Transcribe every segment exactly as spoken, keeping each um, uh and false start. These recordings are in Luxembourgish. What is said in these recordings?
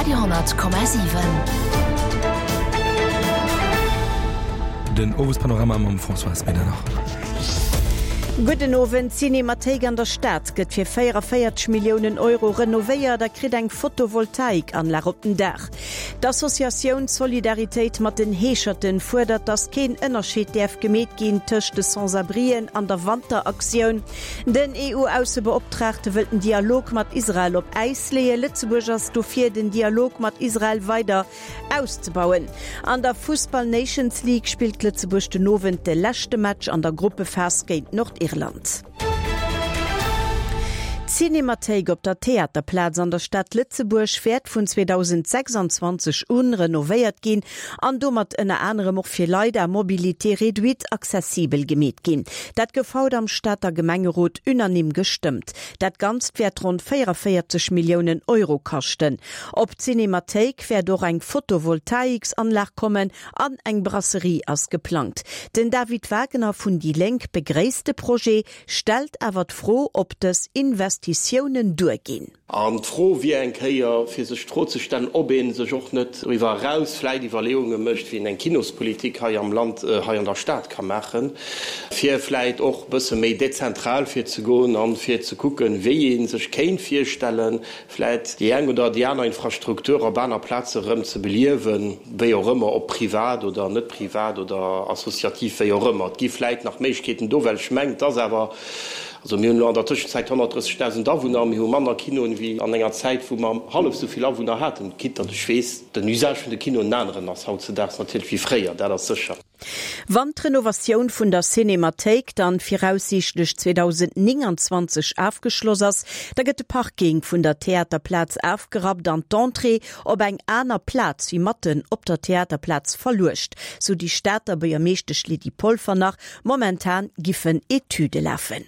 Radio honnert Komma siwen. Den Owespanorama mam Françoise Medernach. Gudden Owend, D'Cinémathéik an der Stad gëtt fir véierundavéierzeg Milliounen Euro renovéiert a kritt eng Photovoltaikanlag op den Daach. D'Associatioun Solidaritéit mat den Heescherten fuerdert, datt keen Ënnerscheed däerf gemeet ginn tëscht de Sans-abrien an der Wanteraktioun. Den EU-Aussebeoptraagte wëllt den Dialog mat Israel op Äis leeën. Lëtzebuerg ass dofir, den Dialog mat Israel weider auszebauen. An der Fussball Nations League spillt Lëtzebuerg den Owend de leschte Match an der Gruppephas géint Nordirland. D'Cinémathéik op der Theaterplaz an der Stad Lëtzebuerg wäert vun zweedausendsechsundzwanzeg un renovéiert ginn an domat ënner anerem och fir Leit à mobilité réduite accessibel gemeet ginn. Dat gouf haut am Stater Gemengerot unanime gestëmmt. Dat Ganzt wäert ronn véierundavéierzeg Milliounen Euro kaschten. Op d'Cinémathéik wäert och eng Photovoltaiksanlag kommen an eng Brasserie ass geplangt. Den David Wagner vun déi Lénk begréisst de Projet, stellt awer d'Fro, ob dës Investitiounen duerginn. An d'Fro wier eng Kéier, fir sech d'Fro ze stellen, ob ee sech och net doriwwer eraus vläicht Iwwerleeunge mécht, wéi een eng Kinospolitik hei am Land, hei an der Stad ka maachen, fir vläicht och e bësse méi dezentral virzegoen a fir ze kucken, wéi ee sech kéint virstellen, vläicht déi eng oder déi aner Infrastruktur op aner Plaze erëm ze beliewen, wéi och ëmmer, ob privat oder net privat oder associativ, wéi och ëmmer. Et gi vläicht nach Méiglechkeeten do, well ech mengen, et ass awer, also mir hunn elo an der Tëschenzäit honnertdrëssegdausend Awunner, mir hu manner Kinoen wéi an enger Zäit, wou mer hallef esou vill Awunner haten, quitte datt ech weess, den Usage vun de Kinoen en aneren ass hautzedaags natierlech wéi fréier, dat ass sécher. Wann d'Renovatioun vun der Cinémathéik dann viraussiichtlech zweedausendnénganzwanzeg afgeschloss ass, da gëtt de Parking vun der Theaterplaz afgerappt an d'Entrée op eng aner Plaz wéi matten op der Theaterplaz verluecht, sou déi Stater Buergermeeschtesch Lydie Polfer nach. Momentan giffen Etüde lafen.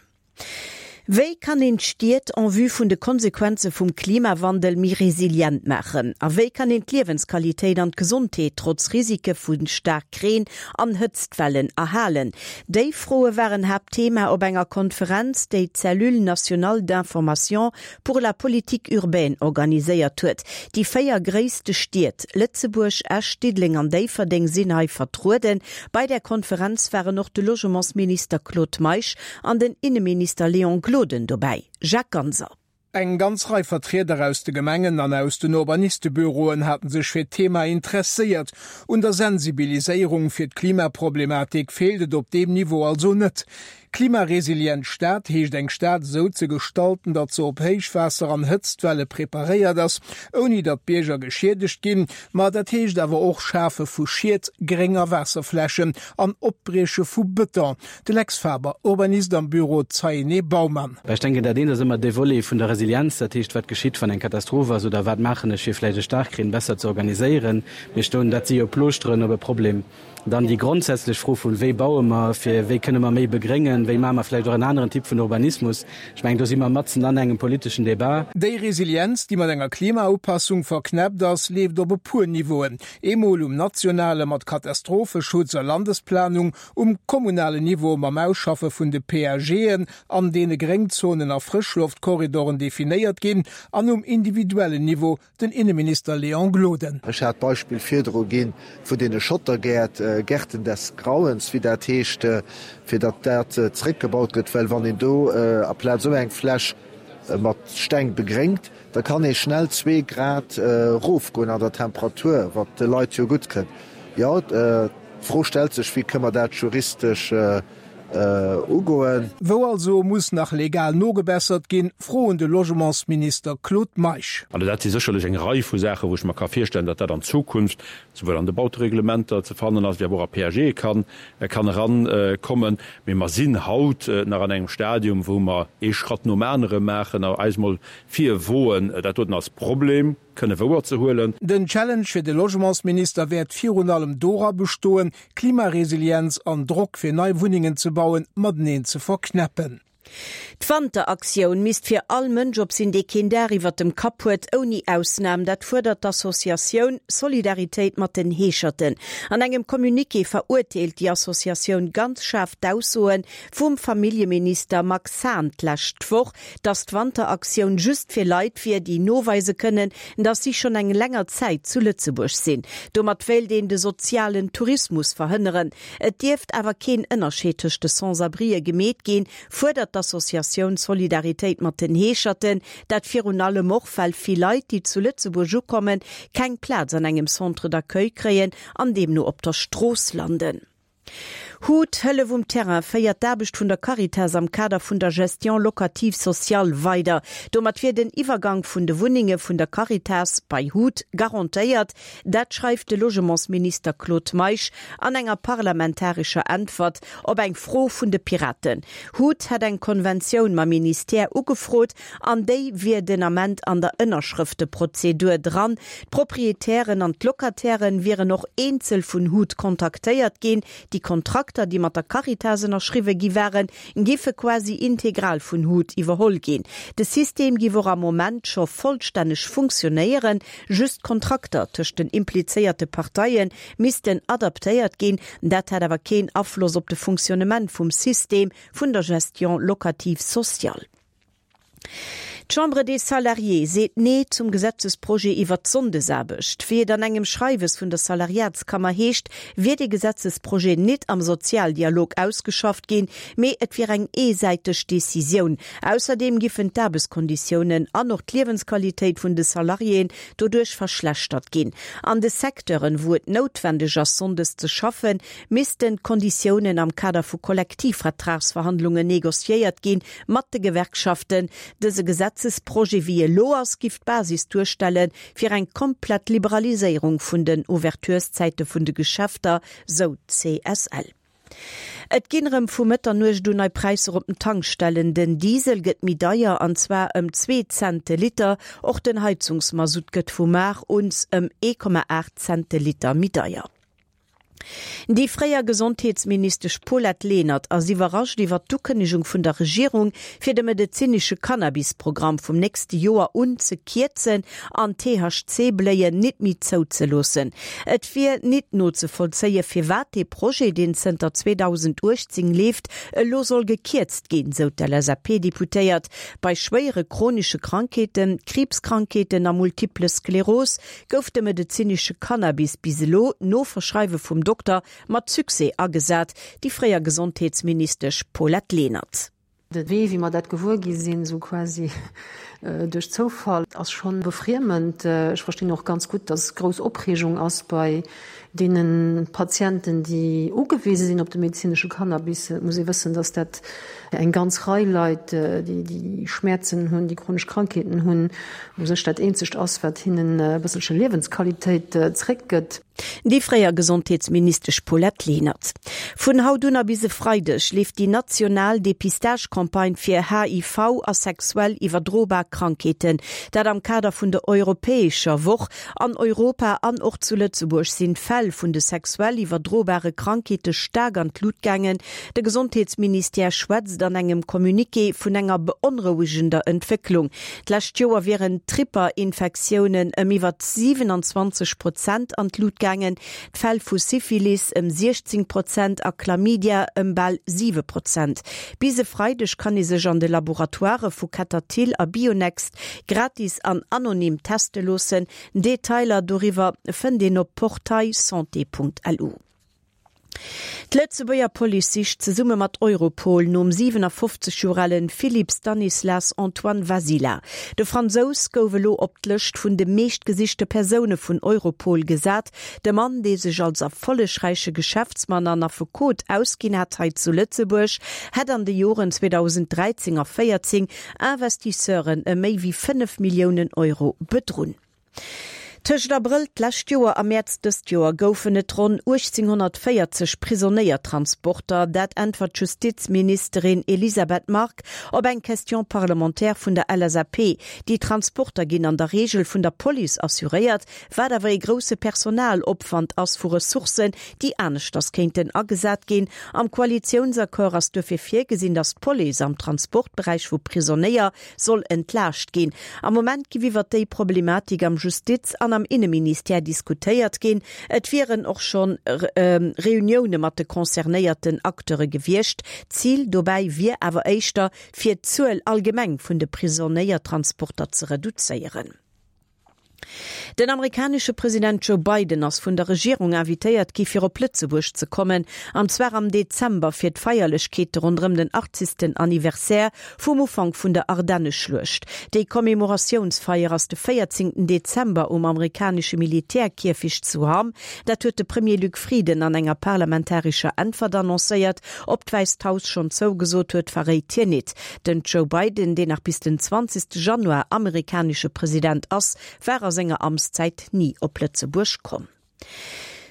Wéi kann een d'Stied en vue vun de Konsequenze vum Klimawandel méi resilient maachen? A wéi kann een d'Liewensqualitéit an d'Gesondheet trotz Risike vu Staarkreen an Hëtztwellen erhalen? Déi Froe waren Haaptthema op enger Konferenz, déi d'Cellule nationale d'information pour la politique urbaine organiséiert huet. Déi véier gréisste Stied, Lëtzebuerg, Esch, Diddeleng an Déifferdeng sinn hei vertrueden. Bei der Konferenz waren och de Logementsminister Claude Meisch an den Inneminister Léon Gloden dobäi. Jacques Ganser. Eng ganz Rei Vertrieder aus de Gemengen an aus den Urbanistebüroen haten sech fir d'Thema interesséiert. Un der Sensibiliséierung fir d'Klimaproblematik feelt et op deem Niveau also net. Klimaresilient Stad heescht eng Stad esou ze gestalten, datt se op Héichwaasser an Hëtztwelle preparéiert ass, ouni datt d'Bierger geschiedegt ginn. Ma dat heescht awer och Schafe vu Schied, Gréng a Waasserflächen an Opbrieche vu Bëton. De Lex Faber, Urbanist am Büro Zeyené Baumann. Ech denken, dat eent ass ëmmer de Volet vun der Resilienz, dat heescht, wat geschitt, wann eng Katastroph ass oder wat maachen ech, fir vläicht e Staarkreen besser ze organiséieren. Mir stoen, dat si jo Plooschteren op e Problem. Dann déi grondsätzlech Fro vun, wéi baue mer, fir wéi kënne mer méi begréngen, wéi maache mer vläicht och en aneren Typ vun Urbanismus. Ech mengen, do si mer matzen an engem politeschen Debat. Déi Resilienz, déi mat enger Klimaupassung verknäppt ass, leeft op e puer Niveauen, eemol um nationale mat Katastropheschutz a Landesplanung, um kommunalen Niveau mam Ausschaffe vun de PAGen, an deene Gréngzonen a Frëschloftkorridoren definéiert ginn, an um individuellen Niveau, Den Inneminister Léon Gloden. Ech hat d'Beispill virdru gi vun deene Schottergäert, Gärten des Grauens, wéi dat heescht, fir datt dat zeréckgebaut gëtt, well wann een do aplaz esou eng Fläch mat Steng begréngt, da kann ee schnell zwee Grad erofgoen an der Temperatur, wat de Leit jo gutt kënnt. Jo, d'Fro stellt sech, wéi kënne mer dat juristesch ugoen. Wou also muss nach legal nogebessert ginn? Fro un de Logementsminister Claude Meisch. Also dat si sécherlech eng Rei vu Saachen, wou ech mer ka virstellen, datt dat an Zukunft souwuel an de Bautereglementer ze fannen ass, wéi awer och a P A Ge kann kann erankommen. Mee mer sinn haut nach an engem Stadium, wou mer ee Schratt nom anere maachen a eis mol virwoen, dat doten als Problem kënne wouerzehuelen. Den Challenge fir de Logementsminister wäert virun allem dora bestoen, Klimaresilienz an Drock fir nei Wunnengen ze bauen, mateneen ze verknäppen. D'Wanteraktioun misst fir all Mënsch op sinn, dee keen Daach iwwer dem Kapp huet, ouni Ausnam. Dat fuerdert d'Associatioun Solidaritéit mat den Heescherten. An engem Communiqué verurteelt déi Associatioun ganz schaarf d'Aussoe vum Familljeminister Max Hahn d'lescht Woch, datt d'Wanteraktioun just fir Leit wier, déi noweise kënnen, datt si schonn eng länger Zäit zu Lëtzebuerg sinn. Domat wéilt een de sozialen Tourismus verhënneren. Et dierft awer keen Ënnerscheed tëscht de Sans-abrien gemeet ginn, fuerdert d'Associatioun Solidaritéit mat den Heescherten. Dat virun allem och, well vill Leit, déi zu Lëtzebuerg ukommen, keng Plaz an engem Centre d'accueil kréien an deemno op der Strooss landen. Hut, Hëllef um Terrain féiert d'Aarbecht vun der Caritas am Kader vun der Gestion locative sociale weider. Domat wier den Iwwergank vun de Wunnenge vun der Caritas bei Hut garantéiert. Dat schreift de Logementsminister Claude Meisch an enger parlamentarescher Äntwert op eng Fro vun de Piraten. Hut hätt eng Konventioun mam Ministère ugefrot an déi wier den Ament an der Ënnerschrëfteprozedur dran. D'Proprietären an d'Locatairen wieren och eenzel vun Hut kontaktéiert ginn. Déi Kontrakter, déi mat der Caritas ënnerschriwwe gi waren, géife quasi integral vun Hut iwwerholl ginn. De System géif och am Moment scho vollstänneg funktionéieren, just d'Kontrakter tëscht den implizéierte Parteie missten adaptéiert ginn. Dat hätt awer keen Afloss op de Funktionnement vum System vun der Gestion locative sociale. D'Chambre des Salariés seet Nee zum Gesetzesprojet iwwer d'Sonndesaarbecht. Wéi et an engem Schreiwes vun der Salariatskammer heescht, wier de Gesetzesprojet nit am Sozialdialog ausgeschafft ginn, mee et wier eng eesäiteg Decisioun. Ausserdeem giffen d'Aarbechtskonditiounen an och d'Liewensqualitéit vun de Salariéen doduerch verschlechtert ginn. An de Secteuren, wou et noutwendeg ass sonndes ze schaffen, missten d'Konditiounen am Kader vu Kollektivvertragsverhandlungen negociéiert ginn mat de Gewerkschaften. Dëse Gesetzesprojet wéi e lo ass, giff d'Basis duerstelle fir eng komplett Liberaliséierung vun den Ouvertureszäite vun de Geschäfter, sou d'CSL. Et ginn erëm vu Mëtternuecht un nei Präisser op den Tankstellen. Den Diesel gëtt méi deier an zwar ëm zwee Cent de Liter. Och den Heizungsmasutt gëtt vu mar un ëm ee Komma aacht Cent de Liter méi deier. Déi fréier Gesondheetsministesch Paulette Lenert ass iwwerrascht iwwer d'Ukënnegung vun der Regierung, fir de medezinesche Cannabis-Programm vum nächste Joer un ze kierzen an T H C Bléien nit méi zouzeloossen. Et wier nit nozevollzéie firwat dee Projet, deen zënter zweedausenduechtzéng leeft, elo soll gekierzt ginn, sou d'L S A P-Deputéiert. Bei schwéiere chronesche Krankheeten, Kriibskrankheeten a Multiple Skleros gouf de medezinesche Cannabis bis elo no Verschreiwe vum Dokter mat Succès agesat, déi fréier Gesondheetsministesch Paulette Lenert. De Wee, wéi mer dat gewuer gi sinn, sou quasi duerch Zoufall, ass schonn befriemend. Ech verstinn och ganz gutt, dass grouss Opreegung ass bei deene Patienten, déi ugewise sinn op de medezinesche Cannabis. Et muss ee wëssen, dass dat eng ganz Rei Leit, déi déi Schmäerzen hunn, déi chronesch Krankheeten hunn, u sech dat eenzegt ass, wat hinnen e bësselche Liewensqualitéit zréckgëtt. Déi fréier Gesondheetsministesch Paulette Lenert. Vun haut un a bis e Freideg leeft déi national Depistagecampagne fir H I V a sexuell iwwerdrobar Krankheeten. Dat am Kader vun der europäescher Woch. An Europa an och zu Lëtzebuerg sinn d'Fäll vun de sexuell iwwerdrobare Krankheete staark an d'Lut gaangen. De Gesondheetsministère schwätzt an engem Communiqué vun enger beonrouegender Entwécklung. D'lescht Joer wieren d'Tripperinfektiounen ëm iwwer siewenundzwanzeg Prozent an d'Lut gaangen, d'Fäll vu Syphilis ëm siechzéng Prozent a Chlamydia ëm bal siwe Prozent. Bis e Freideg kann ee sech an de Laboratoirë vu Ketterthill a Bionext gratis an anonym teste loossen. Detailer doriwwer fënnt een op portailsanté Punkt lu. D'Lëtzebuerger Police sicht zesumme mat Europol nom siewenafofzeg Joer ale Philippe Stanislas Antoine Vasila. De Fransous gouf elo op d'Lëscht vun de meeschtgesichte Persoune vun Europol gesat. De Mann, dee sech als erfollegräiche Geschäftsmann an Affekot ausginn hat hei zu Lëtzebuerg, hätt an de Joren zweedausendräizéng a véierzéng Investisseuren ëm méi wéi fënnef Milliounen Euro bedrunn. Tëscht Abrëll d'lescht Joer a Mäerz dëst Joer goufen et ronn uechtzénghonnertvéierzeg Prisonéiertransporter. Dat äntwert d'Justizministerin Elisabeth Margue op eng Question parlementaire vun der L S A P. Déi Transporter ginn an der Reegel vun der Police assuréiert, wat awer ee grousse Personalopwand ass vu Ressourcen, déi aneschters kéinten agesat ginn. Am Koalitiounsaccord ass duerfir virgesinn, datt d'Police am Transportberäich vu Prisonéier soll entlaascht ginn. Am Moment giff iwwer déi Problematik am Justiz an am Inneministère diskutéiert ginn. Et wieren och schonn Reunioune mat de concernéierten Acteure gewiescht. Zil dobäi wier awer éischter, fir d'Zuel allgemeng vun de Prisonéiertransporter ze reduzéieren. Den amerikanesche President Joe Biden ass vun der Regierung invitéiert gi fir op Lëtzebuerg ze kommen, an zwar am Dezember fir d'Feierlechkeete ronderëm den achtzegsten Anniversaire vum Ufank vun der Ardenneschluecht. Déi Commemoratiounsfeier ass de véierzéngten Dezember um amerikanesche Militärkierfecht zu Hamm. Dat huet de Premier Luc Frieden an enger parlamentarescher Äntwert annoncéiert. Ob d'Wäisst Haus schonn zougesot huet, verréit hien net. Den Joe Biden, deen nach bis den zwanzegste Januar amerikanesche President ass, war a senger Amtszäit ni op Lëtzebuerg komm.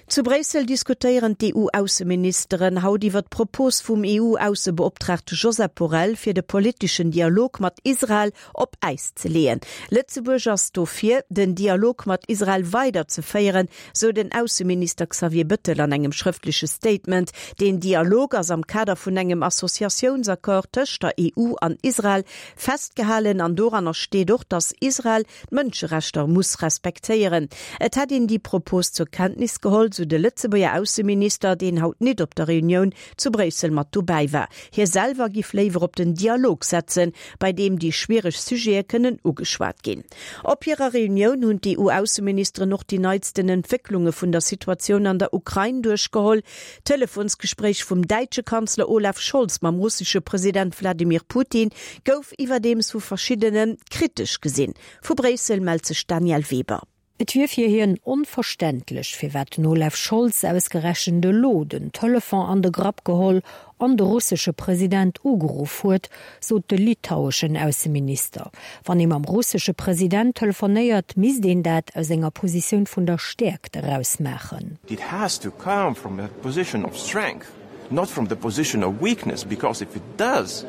Zu Bréissel diskutéieren d'E U-Ausseministeren haut iwwer d'Propos vum E U-Aussebeoptraagte Josep Borrell fir de politeschen Dialog mat Israel op Äis ze leeën. Lëtzebuerg ass dofir, den Dialog mat Israel weiderzeféieren, sou den Ausseminister Xavier Bettel an engem schrëftleche Statement. Den Dialog ass am Kader vun engem Associatiounsaccord tëscht der E U an Israel festgehalen an doranner steet och, datt Israel d'Mënscherechter muss respektéieren. Et hätt een déi Propos zur Kenntnis geholl, sou de Lëtzebuerger Ausseminister, deen haut net op der Reunioun zu Bréissel mat dobäi war. Hie selwer giff léiwer op den Dialog setzen, bei deem déi schwiereg Sujete kënnen ugeschwat ginn. Op hirer Reunioun hunn d'E U-Ausseministeren och déi neitsten Entwécklunge vun der Situatioun an der Ukrain duerchgeholl. D'Telefonsgespréich vum däitsche Kanzler Olaf Scholz mam russesche President Wladimir Putin gouf iwwerdeems vu verschiddene kritesch gesinn. Vu Bréissel mellt sech d'Danièle Weber. Et wier fir hien onverständlech, firwat den Olaf Scholz ausgerechent elo den Telefon an de Grapp geholl an de russesche President ugeruff huet, sot de litaueschen Ausseminister. Wann ee mam russesche President telefonéiert, misst een dat aus enger Positioun vun der Stäerkt eraus maachen. It has to come from a position of strength, not from the position of weakness, because if it does,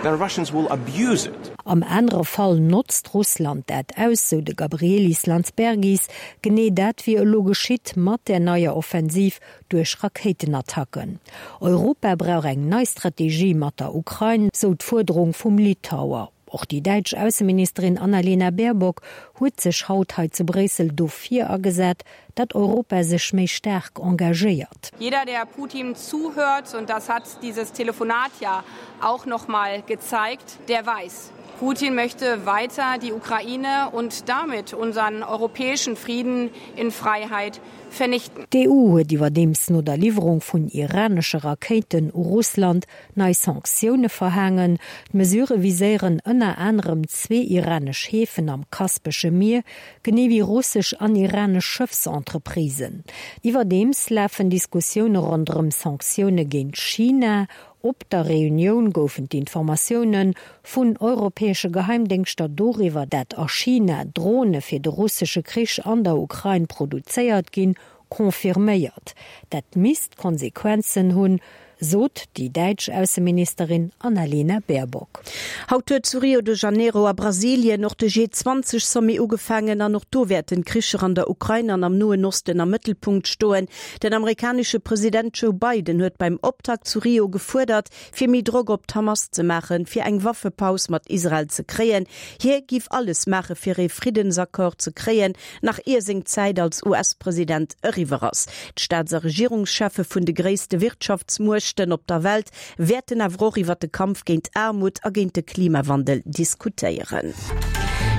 the Russians will abuse it. Am anere Fall notzt Russland dat aus, sou de Gabrielius Landsbergis, genee dat wier elo geschitt mat der neier Offensiv duerch Rakéitenattacken. Europa brauch eng nei Strategie mat der Ukrain, sou d'Fuerderung vum Litauer. Och déi däitsch Ausseministerin Annalena Baerbock huet sech haut hei zu Bréissel dofir agesat, datt Europa sech méi staark engagéiert. Jeder, der Putin zuhört, und das hat dieses Telefonat ja auch noch mal gezeigt, der weiß, Putin möchte weiter die Ukraine und damit unseren europäischen Frieden in Freiheit vernichten. D'E U huet iwwerdeems no der Liwwerung vun iranesche Rakéiten u Russland nei Sanktioune verhaangen. D'Mesurë viséieren ënner anerem zwee iranesch Häfen am Kaspesche Mier, genee wéi russesch an iranesch Schëffsentreprisen. Iwwerdeems lafen Diskussioune ronderëm Sanktioune géint China. Op der Reunioun goufen d'Informatioune vun europäesche Geheimdéngschter doriwwer, dat a China Drone fir de russesche Krich an der Ukrain produzéiert ginn, confirméiert. Dat misst Konsequenzen hunn, sot déi däitsch Ausseministerin Annalena Baerbock. Haut huet zu Rio de Janeiro a Brasilien och de G zwanzeg Sommet ugefaangen an och do wäerten d'Kricher an der Ukrain an am Noen Osten am Mëttelpunkt stoen. Den amerikanesche President Joe Biden huet beim Optakt zu Rio gefuerdert, fir méi Drock op d'Hamas ze maachen, fir eng Waffepaus mat Israel ze kréien. Hie giff alles maache fir e Friddensaccord ze kréien, nach ier seng Zäit als U S-President eriwwer ass. D'Staats a Regierungscheffe vun de gréisste Wirtschaftsmuechten op der Welt wäerten awer och iwwer de Kampf géint Aarmut a géint de Klimawandel diskutéieren.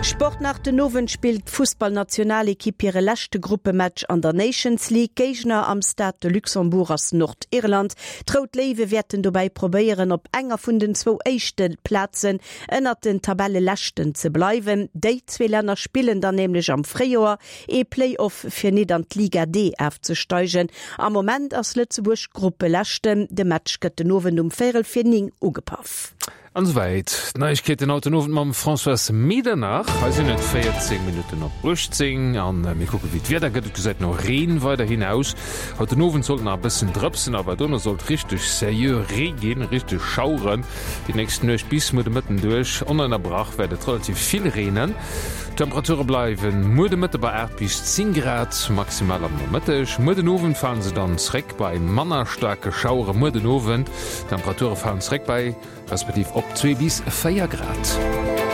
Sport nach. Den Owend spillt d'Fussballnationalekipp hire leschte Gruppematch an der Nations League. Géigner am Stade de Luxembourg ass Nordirland. D'Rout Léiwe wäerten dobäi probéieren op enger vun den zwou éischte Plazen ënnert den Tabelleleschten ze bleiwen. Déi zwee Länner spillen dann nämlech am Fréijoer ee Play-off fir net an d'Liga D ofzesteigen. Am Moment ass Lëtzebuerg Gruppeleschten. De Match gëtt den Owend um véierel vir néng ugepaff. An esouwäit d'Neiegkeeten haut den Owend mam Françoise Medernach. Hei sinn et véierzéng Minutten op uechtzéng an mir kucke wéi d'Wieder gëtt. Et gesäit no Reen weiderhin aus. Haut den Owend sollt nach e bëssen drëpsen, awer dono sollt richteg seriö Ree ginn, richteg Schaueren. Déi nächst Nuecht bis muer de Mëtten duerch onënnerbrach wäert et relativ vill reenen. D'Temperature bleiwen muer de Mëtte bei aacht bis zéng Grad maximal am Nomëtteg. Muer den Owend falen se dann zréck bei manner staarke Schauere muer den Owend. D'Temperature falen zréck bei respektiv op zwee bis véier Grad.